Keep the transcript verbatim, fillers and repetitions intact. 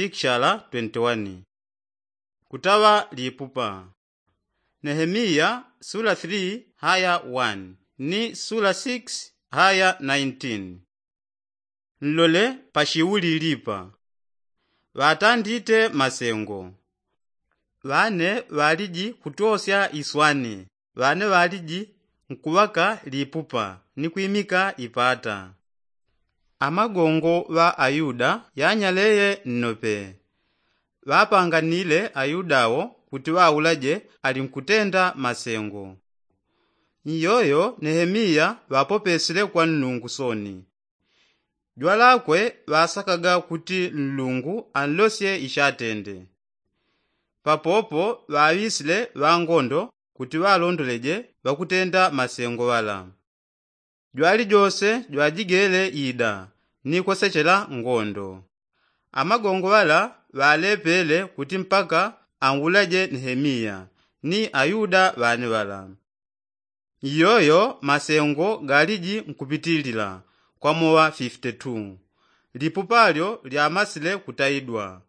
ikishala twenty-one. Kutaŵa lipupa. Nehemiya sula three haya one ni sula six haya nineteen. Nlole pashiulilipa. Ŵatandite masengo. Ŵane ŵaliji kutwosya iswani. Ŵane ŵaliji nkuŵaka lipupa ni kwimika ipata. Amagongo ŵa ayuda yanyaleye nnope. Ŵapanganile ayuda awo kuti ŵaulaje ali nkutenda masengo. Iyoyo nehemiya ŵapopesile kwa nnungu soni. Jwalakwe ŵasakaga kuti nlungu anlosye ishatende. Papopo ŵaŵisile ŵangondo kuti ŵalondoleje ŵakutenda masengo ŵala. Jwalijose jwajigele ida ni kwesechela ngondo. Amagongo ŵala ŵalepele kuti mpaka aulaje nehemiya ni ayuda ŵane ŵala. Iyoyo masengo galiji nkupitilila kwa mowa fifty-two. Lipupa lyo lyamasile kutaidwa.